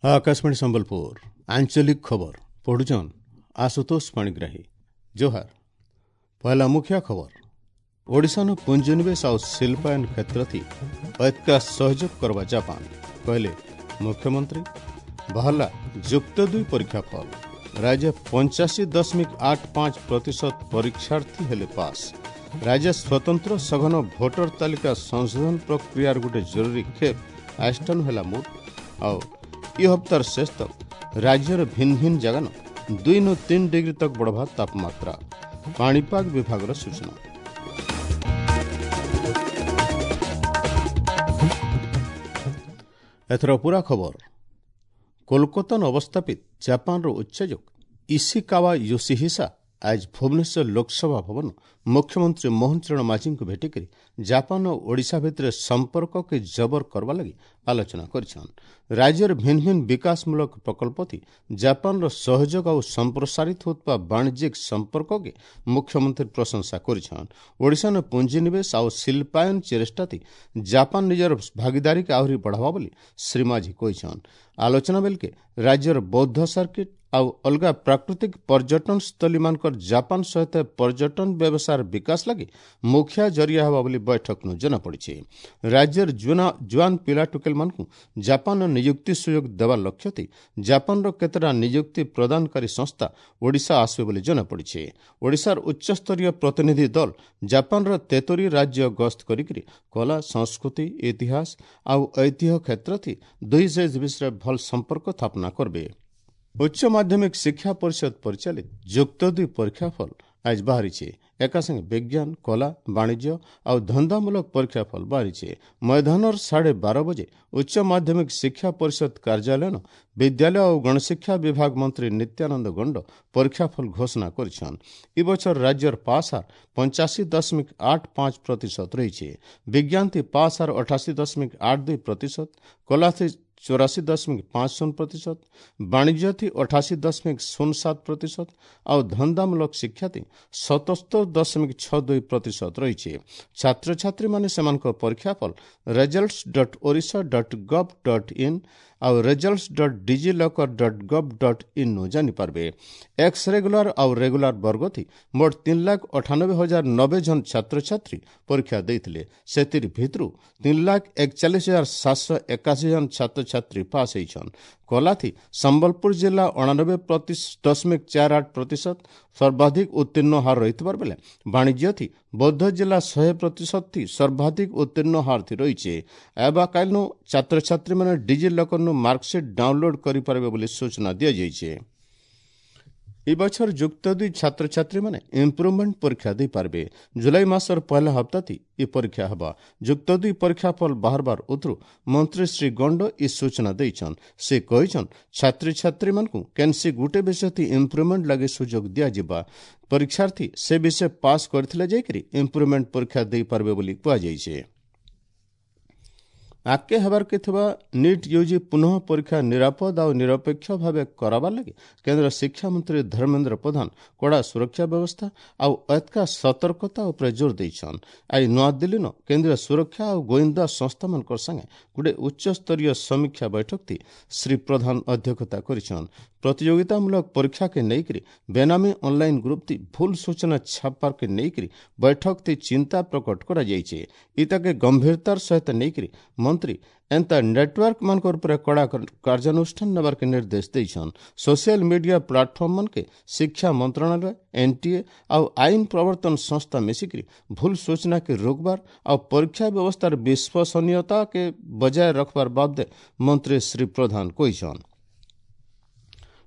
ଆକାଶବାଣୀ ସମ୍ବଲପୁର ଆଞ୍ଚଳିକ ଖବର ପଢୁଛନ୍ ଆଶୁତୋଷ ପାଣିଗ୍ରାହୀ। ଜୋହାର। ପହଲା ମୁଖିଆ ଖବର। ଓଡ଼ିଶାନୁ ପୁଞ୍ଜିନିବେଶ ଆଉ ଶିଳ୍ପାୟନ କ୍ଷେତ୍ରଥି ଐତିକା ସହଯୋଗ କରବା ଜାପାନ କହିଲେ ମୁଖ୍ୟମନ୍ତ୍ରୀ। ବାହାରିଲା ଯୁକ୍ତ ଦୁଇ ପରୀକ୍ଷା ଫଳ। ରାଜ୍ୟ 85.85% ପରୀକ୍ଷାର୍ଥୀ ହେଲେ ପାସ୍। ରାଜ୍ୟ ସ୍ୱତନ୍ତ୍ର ସଘନ ଭୋଟର ତାଲିକା ସଂଶୋଧନ ପ୍ରକ୍ରିୟାର ଗୋଟେ ଜରୁରୀ ଖେପ ଆଇଷ୍ଟାନୁ ହେଲା ମୋଟ। ଆଉ ଇ ହପ୍ତାର ଶେଷ ତକ ରାଜ୍ୟର ଭିନ୍ନ ଭିନ୍ନ ଜାଗାନ 2 ନୁ 3 ଡିଗ୍ରୀ ତକ ବଢ଼ବା ତାପମାତ୍ରା, ପାଣିପାଗ ବିଭାଗର ସୂଚନା। ଏଥର ପୁରା ଖବର। କୋଲକାତାନ ଅବସ୍ଥାପିତ ଜାପାନର ଉଚ୍ଚାଯୋଗ ଇସିକାୱା ୟୋସିହିସା ଆଜ ଭୁବନେଶ୍ୱର ଲୋକସଭା ଭବନ ମୁଖ୍ୟମନ୍ତ୍ରୀ ମୋହନ ଚରଣ ମାଝୀଙ୍କୁ ଭେଟିକରି ଜାପାନ ଓ ଓଡ଼ିଶା ଭିତରେ ସମ୍ପର୍କକେ ଜବର କରବା ଲାଗି ଆଲୋଚନା କରିଛନ୍। ରାଜ୍ୟର ଭିନ୍ନ ଭିନ୍ନ ବିକାଶମୂଳକ ପ୍ରକଳ୍ପଥି ଜାପାନର ସହଯୋଗ ଆଉ ସମ୍ପ୍ରସାରିତ ହେଉଥିବା ବାଣିଜ୍ୟିକ ସମ୍ପର୍କକେ ମୁଖ୍ୟମନ୍ତ୍ରୀ ପ୍ରଶଂସା କରିଛନ୍। ଓଡ଼ିଶାନ ପୁଞ୍ଜିନିବେଶ ଆଉ ଶିଳ୍ପାୟନ ଚେଷ୍ଟାଥି ଜାପାନ ନିଜର ଭାଗିଦାରୀକେ ଆହୁରି ବଢ଼ାବା ବୋଲି ଶ୍ରୀ ମାଝୀ କହିଛନ୍। ଆଲୋଚନା ବେଲକେ ରାଜ୍ୟର ବୌଦ୍ଧ ସର୍କିଟ ଆଉ ଅଲଗା ପ୍ରାକୃତିକ ପର୍ଯ୍ୟଟନ ସ୍ଥଳୀମାନଙ୍କର ଜାପାନ ସହିତ ପର୍ଯ୍ୟଟନ ବ୍ୟବସାୟର ବିକାଶ ଲାଗି ମୁଖିଆ ଜରିଆ ହେବା ବୋଲି ବୈଠକନୁ ଜଣାପଡ଼ିଛି। ରାଜ୍ୟର ଜୁଆନ ପିଲା ଟୁକେଲମାନଙ୍କୁ ଜାପାନର ନିଯୁକ୍ତି ସୁଯୋଗ ଦେବା ଲକ୍ଷ୍ୟଥି ଜାପାନର କେତେଟା ନିଯୁକ୍ତି ପ୍ରଦାନକାରୀ ସଂସ୍ଥା ଓଡ଼ିଶା ଆସିବେ ବୋଲି ଜଣାପଡ଼ିଛି। ଓଡ଼ିଶାର ଉଚ୍ଚସ୍ତରୀୟ ପ୍ରତିନିଧି ଦଳ ଜାପାନର ତେତୋରି ରାଜ୍ୟ ଗସ୍ତ କରିକିରି କଳା, ସଂସ୍କୃତି, ଇତିହାସ ଆଉ ଐତିହ୍ୟ କ୍ଷେତ୍ରଥି ଦୁଇ ଦେଶ ବିଷୟରେ ଭଲ ସମ୍ପର୍କ ସ୍ଥାପନା କରିବେ। ଉଚ୍ଚ ମାଧ୍ୟମିକ ଶିକ୍ଷା ପରିଷଦ ପରିଚାଳିତ ଯୁକ୍ତ ଦୁଇ ପରୀକ୍ଷାଫଳ ଆଜ ବାହାରିছে। ଏକାସାଙ୍ଗେ ବିଜ୍ଞାନ, କଳା, ବାଣିଜ୍ୟ ଆଉ ଧନ୍ଦାମୂଳକ ପରୀକ୍ଷାଫଳ ବାହାରିছে। ମୈଦାନର 12:30 ବଜେ ଉଚ୍ଚ ମାଧ୍ୟମିକ ଶିକ୍ଷା ପରିଷଦ କାର୍ଯ୍ୟାଳୟନ ବିଦ୍ୟାଳୟ ଆଉ ଗଣଶିକ୍ଷା ବିଭାଗ ମନ୍ତ୍ରୀ ନିତ୍ୟାନନ୍ଦ ଗଣ୍ଡ ପରୀକ୍ଷାଫଳ ଘୋଷଣା କରିଛନ୍। ଏ ବଛର ରାଜ୍ୟର ପାସ୍ ହାର 85.85% ରହିছে। ବିଜ୍ଞାନ ଥି ପାସ୍ ହାର 88.82%, କଳା ଥି 84.50%, ବାଣିଜ୍ୟ ଥି 88.07% ଆଉ ଧନ୍ଦାମୂଳକ ଶିକ୍ଷା ଥି 77.62% ରହିଛି। ଛାତ୍ରଛାତ୍ରୀମାନେ ସେମାନଙ୍କ ପରୀକ୍ଷାଫଳ results.odisha.gov.in ଆଉ results.digilocker.gov.in ନୁ ଜାଣିପାରିବେ। ଏକ୍ସ ରେଗୁଲାର ଆଉ ରେଗୁଲାର ବର୍ଗଥି ମୋଟ 3,98,090 ଜଣ ଛାତ୍ରଛାତ୍ରୀ ପରୀକ୍ଷା ଦେଇଥିଲେ। ସେଥିର ଭିତରୁ 3,41,781 ଜଣ ଛାତ୍ରଛାତ୍ରୀ ପାସ୍ ହେଇଛନ୍। କଲାଥି ସମ୍ବଲପୁର ଜିଲ୍ଲା 89.48% ସର୍ବାଧିକ ଉତ୍ତୀର୍ଣ୍ଣ ହାର ରହିଥିବାର ବେଲେ ବାଣିଜ୍ୟଥି ବୌଦ୍ଧ ଜିଲ୍ଲା 100% ଥି ସର୍ବାଧିକ ଉତ୍ତୀର୍ଣ୍ଣ ହାର ଥି ରହିছে। ଏବା କାଲିନୁ ଛାତ୍ରଛାତ୍ରୀମାନେ ଡିଜି ଲକରନୁ ମାର୍କସିଟ୍ ଡାଉନଲୋଡ୍ କରିପାରିବେ ବୋଲି ସୂଚନା ଦିଆଯାଇଛି। ଏ ବଛର ଯୁକ୍ତ ଦୁଇ ଛାତ୍ରଛାତ୍ରୀମାନେ ଇମ୍ପ୍ରୁଭମେଣ୍ଟ ପରୀକ୍ଷା ଦେଇପାରିବେ। ଜୁଲାଇ ମାସର ପହିଲା ହପ୍ତାଥି ଏ ପରୀକ୍ଷା ହେବ। ଯୁକ୍ତ ଦୁଇ ପରୀକ୍ଷା ଫଳ ବାହାରବାର ଉତରୁ ମନ୍ତ୍ରୀ ଶ୍ରୀ ଗଣ୍ଡ ଏ ସୂଚନା ଦେଇଛନ୍। ସେ କହିଛନ୍, ଛାତ୍ରଛାତ୍ରୀମାନଙ୍କୁ କେନ୍ସି ଗୁଟେ ବିଷୟଥି ଇମ୍ପ୍ରୁଭମେଣ୍ଟ ଲାଗି ସୁଯୋଗ ଦିଆଯିବା। ପରୀକ୍ଷାର୍ଥୀ ସେ ବିଷୟ ପାସ୍ କରିଥିଲେ ଯାଇକରି ଇମ୍ପ୍ରୁଭମେଣ୍ଟ ପରୀକ୍ଷା ଦେଇପାରିବେ ବୋଲି କୁହାଯାଇଛି। ଆଗକେ ହେବାର୍କେ ଥିବା ନିଟ୍ ୟୁଜି ପୁନଃ ପରୀକ୍ଷା ନିରାପଦ ଆଉ ନିରପେକ୍ଷ ଭାବେ କରାବାର ଲାଗି କେନ୍ଦ୍ର ଶିକ୍ଷାମନ୍ତ୍ରୀ ଧର୍ମେନ୍ଦ୍ର ପ୍ରଧାନ କଡ଼ା ସୁରକ୍ଷା ବ୍ୟବସ୍ଥା ଆଉ ଏତକା ସତର୍କତା ଉପରେ ଜୋର ଦେଇଛନ୍। ଆଜି ନୂଆଦିଲ୍ଲୀନ କେନ୍ଦ୍ରୀୟ ସୁରକ୍ଷା ଆଉ ଗୋଇନ୍ଦା ସଂସ୍ଥାମାନଙ୍କର ସାଙ୍ଗେ ଗୋଟେ ଉଚ୍ଚସ୍ତରୀୟ ସମୀକ୍ଷା ବୈଠକଥି ଶ୍ରୀ ପ୍ରଧାନ ଅଧ୍ୟକ୍ଷତା କରିଛନ୍। ପ୍ରତିଯୋଗିତାମୂଳକ ପରୀକ୍ଷାକେ ନେଇକରି ବେନାମୀ ଅନଲାଇନ୍ ଗ୍ରୁପ୍ଥି ଭୁଲ ସୂଚନା ଛାପବାର୍କେ ନେଇକରି ବୈଠକଥି ଚିନ୍ତା ପ୍ରକଟ କରାଯାଇଛି। ଇତାକେ ଗମ୍ଭୀରତାର ସହିତ ନେଇକରି ମନ୍ତ୍ରୀ ଏନ୍ତା ନେଟୱାର୍କମାନଙ୍କର ଉପରେ କଡ଼ା କାର୍ଯ୍ୟାନୁଷ୍ଠାନ ନେବାର୍କେ ନିର୍ଦ୍ଦେଶ ଦେଇଛନ୍। ସୋସିଆଲ ମିଡିଆ ପ୍ଲାଟଫର୍ମମାନକେ ଶିକ୍ଷା ମନ୍ତ୍ରଣାଳୟ, ଏନ୍ଟିଏ ଆଉ ଆଇନ ପ୍ରବର୍ତ୍ତନ ସଂସ୍ଥା ମିଶିକରି ଭୁଲ ସୂଚନାକେ ରୋକବାର ଆଉ ପରୀକ୍ଷା ବ୍ୟବସ୍ଥାର ବିଶ୍ୱସନୀୟତାକେ ବଜାୟ ରଖବାର ବାବଦେ ମନ୍ତ୍ରୀ ଶ୍ରୀ ପ୍ରଧାନ କହିଛନ୍।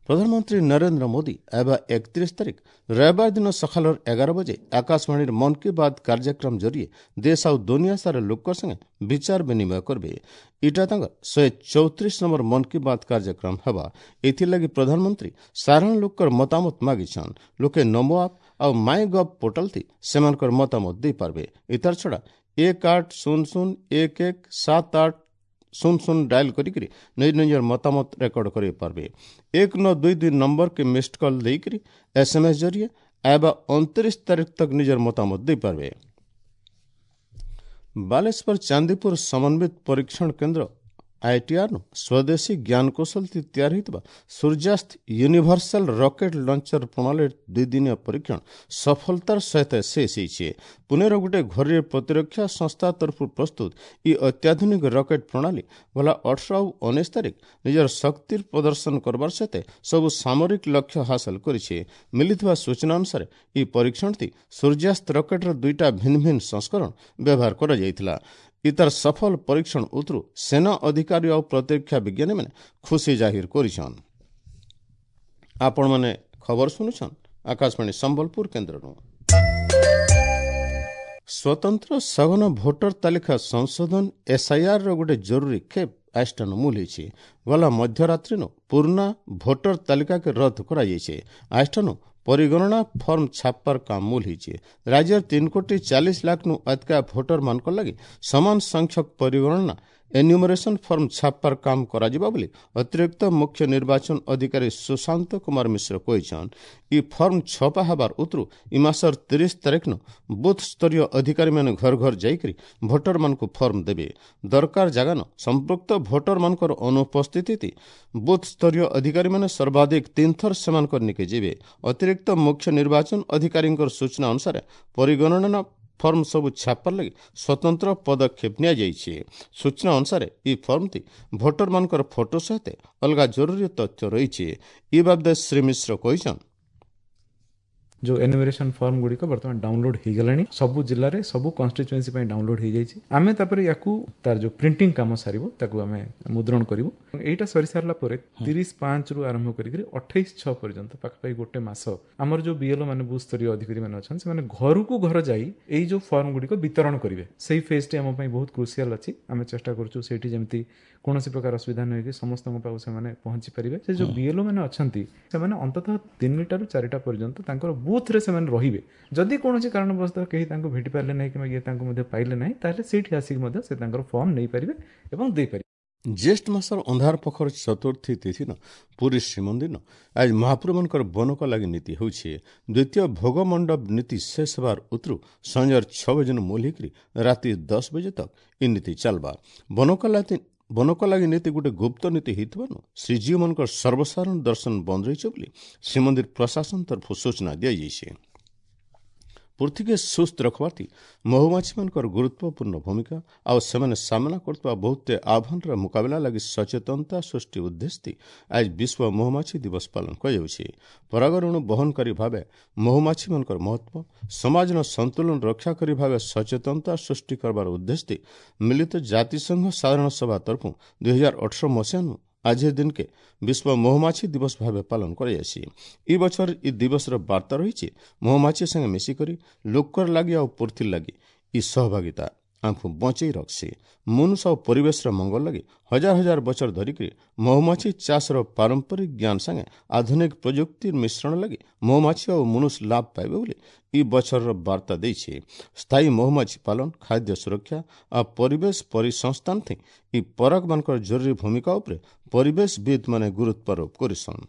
ପ୍ରଧାନମନ୍ତ୍ରୀ ନରେନ୍ଦ୍ର ମୋଦି ଏବେ 31 ତାରିଖ ରବିବାର ଦିନ ସକାଳର 11 ବଜେ ଆକାଶବାଣୀର ମନ୍ କି ବାତ୍ କାର୍ଯ୍ୟକ୍ରମ ଜରିଏ ଦେଶ ଆଉ ଦୁନିଆ ସାରା ଲୋକର ସାଙ୍ଗେ ବିଚାର ବିନିମୟ କରିବେ। ଇଟା ତାଙ୍କର 134 ନମ୍ବର ମନ୍ କି ବାତ୍ କାର୍ଯ୍ୟକ୍ରମ ହେବା। ଏଥିଲାଗି ପ୍ରଧାନମନ୍ତ୍ରୀ ସାଧାରଣ ଲୋକର ମତାମତ ମାଗିଛନ୍। ଲୋକେ ନମୋ ଆପ୍ ଆଉ ମାଇ ଗଭ୍ ପୋର୍ଟାଲ ଥି ସେମାନଙ୍କର ମତାମତ ଦେଇପାରିବେ। ଇତାର ଛଡ଼ା 1800117800 ଡାଏଲ୍ କରିକିରି ନିଜ ନିଜର ମତାମତ ରେକର୍ଡ କରିପାରିବେ। 1922 ନମ୍ବରକେ ମିସ୍ଡ କଲ୍ ଦେଇକରି ଏସ୍ଏମ୍ଏସ୍ ଜରିଏ ଆଇବା 29 ତାରିଖ ତକ ନିଜର ମତାମତ ଦେଇପାରିବେ। ବାଲେଶ୍ୱର ଚାନ୍ଦିପୁର ସମନ୍ୱିତ ପରୀକ୍ଷଣ କେନ୍ଦ୍ର ଆଇଟିଆର୍ ନୁ ସ୍ୱଦେଶୀ ଜ୍ଞାନକୌଶଳ ତିଆରି ହୋଇଥିବା ସୂର୍ଯ୍ୟାସ୍ତ ୟୁନିଭର୍ସାଲ ରକେଟ୍ ଲଞ୍ଚର ପ୍ରଣାଳୀ ଦୁଇଦିନିଆ ପରୀକ୍ଷଣ ସଫଳତାର ସହିତ ଶେଷ ହୋଇଛି। ପୁନେର ଗୋଟେ ଘରୋଇ ପ୍ରତିରକ୍ଷା ସଂସ୍ଥା ତରଫରୁ ପ୍ରସ୍ତୁତ ଇ ଅତ୍ୟାଧୁନିକ ରକେଟ୍ ପ୍ରଣାଳୀ ଗଲା 18 ଆଉ 19 ତାରିଖ ନିଜର ଶକ୍ତିର ପ୍ରଦର୍ଶନ କରବାର ସହିତ ସବୁ ସାମରିକ ଲକ୍ଷ୍ୟ ହାସଲ କରିଛି। ମିଳିଥିବା ସୂଚନା ଅନୁସାରେ ଇ ପରୀକ୍ଷଣଟି ସୂର୍ଯ୍ୟାସ୍ତ ରକେଟ୍ର ଦୁଇଟା ଭିନ୍ନ ଭିନ୍ନ ସଂସ୍କରଣ ବ୍ୟବହାର କରାଯାଇଥିଲା। ଇତାର ସଫଳ ପରୀକ୍ଷଣ ଉତରୁ ସେନା ଅଧିକାରୀ ଆଉ ପ୍ରତିରକ୍ଷା ବିଜ୍ଞାନୀମାନେ ଖୁସି ଜାହିର କରିଛନ୍। ଆପଣମାନେ ଖବର ଶୁଣୁଛନ୍ ଆକାଶବାଣୀ ସମ୍ବଲପୁର କେନ୍ଦ୍ରରୁ। ସ୍ୱତନ୍ତ୍ର ସଘନ ଭୋଟର ତାଲିକା ସଂଶୋଧନ ଏସ୍ଆଇଆର୍ର ଗୋଟେ ଜରୁରୀ ଖେପ ଆଇଷ୍ଟାନ ମୂଲ ହେଇଛି। ଗଲା ମଧ୍ୟରାତ୍ରିନୁ ପୁରୁଣା ଭୋଟର ତାଲିକାକେ ରଦ୍ଦ କରାଯାଇଛି। ଆଇଷ୍ଟାନୁ ପରିଗଣନା ଫର୍ମ ଛାପବାର କାମ ମୂଲ ହେଇଛି। ରାଜ୍ୟର 3 କୋଟି 40 ଲାଖନୁ ଅଧିକା ଭୋଟରମାନଙ୍କର ଲାଗି ସମାନ ସଂଖ୍ୟକ ପରିଗଣନା ଏନ୍ୟୁମରେସନ ଫର୍ମ ଛାପବାର କାମ କରାଯିବ ବୋଲି ଅତିରିକ୍ତ ମୁଖ୍ୟ ନିର୍ବାଚନ ଅଧିକାରୀ ସୁଶାନ୍ତ କୁମାର ମିଶ୍ର କହିଛନ୍। ଇ ଫର୍ମ ଛପା ହେବାର ଉତରୁ ଇ ମାସର 30 ତାରିଖନୁ ବୁଥ ସ୍ତରୀୟ ଅଧିକାରୀମାନେ ଘର ଘର ଯାଇକରି ଭୋଟରମାନଙ୍କୁ ଫର୍ମ ଦେବେ। ଦରକାର ଜାଗାନ ସମ୍ପୃକ୍ତ ଭୋଟରମାନଙ୍କର ଅନୁପସ୍ଥିତି ବୁଥ ସ୍ତରୀୟ ଅଧିକାରୀମାନେ ସର୍ବାଧିକ 3 ଥର ସେମାନଙ୍କର ନିକେ ଯିବେ। ଅତିରିକ୍ତ ମୁଖ୍ୟ ନିର୍ବାଚନ ଅଧିକାରୀଙ୍କର ସୂଚନା ଅନୁସାରେ ପରିଗଣନା ଫର୍ମ ସବୁ ଛାପାର ଲାଗି ସ୍ୱତନ୍ତ୍ର ପଦକ୍ଷେପ ନିଆଯାଇଛି। ସୂଚନା ଅନୁସାରେ ଇ ଫର୍ମଟି ଭୋଟରମାନଙ୍କର ଫଟୋ ସହିତ ଅଲଗା ଜରୁରୀ ତଥ୍ୟ ରହିଛି। ଇ ବାବଦେ ଶ୍ରୀ ମିଶ୍ର କହିଛନ୍, ଯେଉଁ ଏନୁମେରେସନ୍ ଫର୍ମ ଗୁଡ଼ିକ ବର୍ତ୍ତମାନ ଡାଉନଲୋଡ୍ ହେଇଗଲାଣି, ସବୁ ଜିଲ୍ଲାରେ ସବୁ କନଷ୍ଟିଚୁଏନ୍ସି ପାଇଁ ଡାଉନଲୋଡ୍ ହେଇଯାଇଛି। ଆମେ ତାପରେ ୟାକୁ ତାର ଯେଉଁ ପ୍ରିଣ୍ଟିଂ କାମ ସାରିବୁ, ତାକୁ ଆମେ ମୁଦ୍ରଣ କରିବୁ। ଏଇଟା ସରିସାରିଲା ପରେ 30/5ରୁ ଆରମ୍ଭ କରିକିରି 28/6 ପର୍ଯ୍ୟନ୍ତ ପାଖାପାଖି ଗୋଟେ ମାସ ଆମର ଯେଉଁ ବିଏଲ୍ଓ ମାନେ ବୁଥ୍ ସ୍ତରୀୟ ଅଧିକାରୀମାନେ ଅଛନ୍ତି, ସେମାନେ ଘରକୁ ଘର ଯାଇ ଏଇ ଯେଉଁ ଫର୍ମ ଗୁଡ଼ିକ ବିତରଣ କରିବେ। ସେଇ ଫେଜ୍ଟି ଆମ ପାଇଁ ବହୁତ କ୍ରୁସିଆଲ ଅଛି। ଆମେ ଚେଷ୍ଟା କରୁଛୁ ସେଇଠି ଯେମିତି କୌଣସି ପ୍ରକାର ଅସୁବିଧା ନ ହେଇକି ସମସ୍ତଙ୍କ ପାଖକୁ ସେମାନେ ପହଞ୍ଚି ପାରିବେ। ସେ ଯେଉଁ ବିଏଲ୍ଓ ମାନେ ଅଛନ୍ତି, ସେମାନେ ଅନ୍ତତଃ 3ଟାରୁ 4ଟା ପର୍ଯ୍ୟନ୍ତ ତାଙ୍କର ବୁଥରେ ସେମାନେ ରହିବେ। ଯଦି କୌଣସି କାରଣବଶତଃ କେହି ତାଙ୍କୁ ଭେଟି ପାରିଲେ ନାହିଁ କିମ୍ବା ଇଏ ତାଙ୍କୁ ମଧ୍ୟ ପାଇଲେ ନାହିଁ, ତାହେଲେ ସେଇଠି ଆସିକି ମଧ୍ୟ ସେ ତାଙ୍କର ଫର୍ମ ନେଇପାରିବେ ଏବଂ ଦେଇପାରିବେ। ଜ୍ୟେଷ୍ଠ ମାସର ଅନ୍ଧାର ପଖର ଚତୁର୍ଥୀ ତିଥିନ ପୁରୀ ଶ୍ରୀମନ୍ଦିର ଆଜି ମହାପ୍ରଭୁମାନଙ୍କର ବନକ ଲାଗି ନୀତି ହେଉଛି। ଦ୍ୱିତୀୟ ଭୋଗ ମଣ୍ଡପ ନୀତି ଶେଷ ହେବାର ଉତରୁ ସଞ୍ଜର 6 ବଜେନୁ ମୂଲ ହେଇକରି ରାତି 10 ବଜେ ତକ ଇ ନୀତି ଚାଲବା। ବନକ ଲାଗି ନୀତି ଗୋଟେ ଗୁପ୍ତ ନୀତି ହେଇଥିବାରୁ ଶ୍ରୀଜୀଉମାନଙ୍କର ସର୍ବସାଧାରଣ ଦର୍ଶନ ବନ୍ଦ ରହିଛି ବୋଲି ଶ୍ରୀମନ୍ଦିର ପ୍ରଶାସନ ତରଫରୁ ସୂଚନା ଦିଆଯାଇଛି। ପୃଥିବୀକେ ସୁସ୍ଥ ରଖବାର୍ଥି ମହୁମାଛିମାନଙ୍କର ଗୁରୁତ୍ୱପୂର୍ଣ୍ଣ ଭୂମିକା ଆଉ ସେମାନେ ସାମ୍ନା କରୁଥିବା ବହୁତ ଆହ୍ୱାନର ମୁକାବିଲା ଲାଗି ସଚେତନତା ସୃଷ୍ଟି ଉଦ୍ଦେଶ୍ୟ ଆଜି ବିଶ୍ୱ ମହୁମାଛି ଦିବସ ପାଳନ କରାଯାଉଛି। ପରାଗରେଣୁ ବହନକାରୀ ଭାବେ ମହୁମାଛିମାନଙ୍କର ମହତ୍ତ୍ୱ ସମାଜର ସନ୍ତୁଳନ ରକ୍ଷା କରି ଭାବେ ସଚେତନତା ସୃଷ୍ଟି କରିବାର ଉଦ୍ଦେଶ୍ୟ ମିଳିତ ଜାତିସଂଘ ସାଧାରଣ ସଭା ତରଫରୁ 2018 ମସିହାନୁ ଆଜିର ଦିନକେ ବିଶ୍ୱ ମହୁମାଛି ଦିବସ ଭାବେ ପାଳନ କରାଯାଇଛି। ଇ ବଛର ଇ ଦିବସର ବାର୍ତ୍ତା ରହିଛି, ମହୁମାଛି ସାଙ୍ଗେ ମିଶିକରି ଲୋକର ଲାଗି ଆଉ ପୃଥିବୀ ଲାଗି ଇ ସହଭାଗିତା ଆମକୁ ବଞ୍ଚେଇ ରଖ୍ସି। ମନୁଷ ଆଉ ପରିବେଶର ମଙ୍ଗଳ ଲାଗି ହଜାର ହଜାର ବଛର ଧରିକରି ମହୁମାଛି ଚାଷର ପାରମ୍ପରିକ ଜ୍ଞାନ ସାଙ୍ଗେ ଆଧୁନିକ ପ୍ରଯୁକ୍ତିର ମିଶ୍ରଣ ଲାଗି ମହୁମାଛି ଆଉ ମନୁଷ ଲାଭ ପାଇବେ ବୋଲି ଇ ବଛରର ବାର୍ତ୍ତା ଦେଇଛି। ସ୍ଥାୟୀ ମହୁମାଛି ପାଳନ, ଖାଦ୍ୟ ସୁରକ୍ଷା ଆଉ ପରିବେଶ ପରିସଂସ୍ଥାନ ଥି ଇ ପରାଗମାନଙ୍କର ଜରୁରୀ ଭୂମିକା ଉପରେ ପରିବେଶବିତ୍ମାନେ ଗୁରୁତ୍ୱାରୋପ କରିଛନ୍।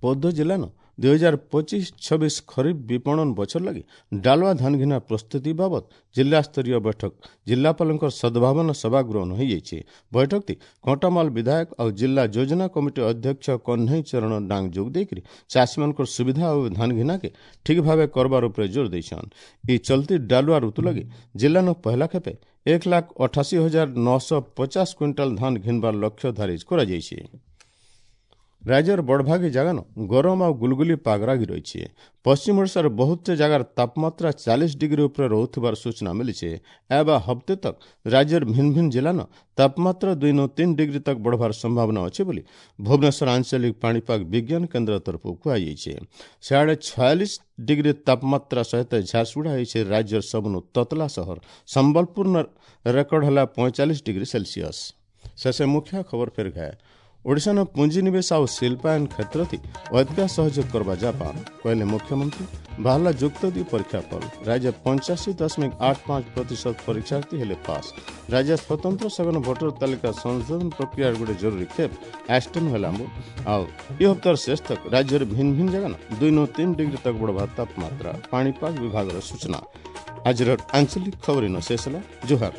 ବୌଦ୍ଧ ଜିଲ୍ଲାନ 2025-26 ଖରିଫ ବିପଣନ ବଛର ଲାଗି ଡାଲୁଆ ଧାନ ଘିନା ପ୍ରସ୍ତୁତି ବାବଦ ଜିଲ୍ଲାସ୍ତରୀୟ ବୈଠକ ଜିଲ୍ଲାପାଳଙ୍କର ସଦ୍ଭାବନା ସଭାଗୃହ ହୋଇଯାଇଛି। ବୈଠକଟି କଣ୍ଟାମାଲ ବିଧାୟକ ଆଉ ଜିଲ୍ଲା ଯୋଜନା କମିଟି ଅଧ୍ୟକ୍ଷ କହ୍ନେଇ ଚରଣ ଡାଙ୍ଗ ଯୋଗ ଦେଇକରି ଚାଷୀମାନଙ୍କର ସୁବିଧା ଆଉ ଧାନ ଘିନାକେ ଠିକ୍ ଭାବେ କରବାର ଉପରେ ଜୋର ଦେଇଛନ୍। ଇ ଚଲତି ଡାଲୁଆ ଋତୁ ଲାଗି ଜିଲ୍ଲାନ ପହଲା ଖେପେ 1,88,950 କୁଇଣ୍ଟାଲ ଧାନ ଘିନବାର ଲକ୍ଷ୍ୟ ଧାର୍ଯ୍ୟ କରାଯାଇଛି। ରାଜ୍ୟର ବଡ଼ଭାଗୀ ଜାଗାନ ଗରମ ଆଉ ଗୁଲଗୁଲି ପାଗ ଲାଗି ରହିଛି। ପଶ୍ଚିମ ଓଡ଼ିଶାର ବହୁତ ଜାଗାର ତାପମାତ୍ରା 40 ଡିଗ୍ରୀ ଉପରେ ରହୁଥିବାର ସୂଚନା ମିଳିଛି। ଏବା ହପ୍ତେ ତକ ରାଜ୍ୟର ଭିନ୍ନ ଭିନ୍ନ ଜିଲ୍ଲାନ ତାପମାତ୍ରା 2-3 ଡିଗ୍ରୀ ତକ ବଢ଼ବାର ସମ୍ଭାବନା ଅଛି ବୋଲି ଭୁବନେଶ୍ୱର ଆଞ୍ଚଳିକ ପାଣିପାଗ ବିଜ୍ଞାନ କେନ୍ଦ୍ର ତରଫରୁ କୁହାଯାଇଛି। ସିଆଡ଼େ 46 ଡିଗ୍ରୀ ତାପମାତ୍ରା ସହିତ ଝାରସୁଗୁଡ଼ା ହୋଇଛି ରାଜ୍ୟର ସବୁନୁ ତତଲା ସହର। ସମ୍ବଲପୁର ରେକର୍ଡ ହେଲା 45 ଡିଗ୍ରୀ ସେଲସିୟସ୍। ଶେଷ ମୁଖ୍ୟ ଖବର ଫେର ଘାଏ। ଓଡ଼ିଶାର ପୁଞ୍ଜିନିବେଶ ଆଉ ଶିଳ୍ପାୟନ କ୍ଷେତ୍ରତି ଅଧିକା ସହଯୋଗ କରିବା ଜାପାନ କହିଲେ ମୁଖ୍ୟମନ୍ତ୍ରୀ। ବାହାରିଲା ଯୁକ୍ତ 2 ପରୀକ୍ଷା ଫଳ। ରାଜ୍ୟ 85.85% ପରୀକ୍ଷାର୍ଥୀ ହେଲେ ପାସ୍। ରାଜ୍ୟ ସ୍ୱତନ୍ତ୍ର ସଘନ ଭୋଟର ତାଲିକା ସଂଶୋଧନ ପ୍ରକ୍ରିୟାର ଗୋଟେ ଜରୁରୀ ଖେପ ଆଷ୍ଟନ ହେଲା। ଆଉ ଏ ହପ୍ତାର ଶେଷ ତକ ରାଜ୍ୟର ଭିନ୍ନ ଭିନ୍ନ ଜାଗା 2-3 ଡିଗ୍ରୀ ତକ ବଢ଼ବା ତାପମାତ୍ରା, ପାଣିପାଗ ବିଭାଗର ସୂଚନା। ଆଜିର ଆଞ୍ଚଳିକ ଖବର ଇନ ଶେଷ ହେଲା। ଜୁହାର।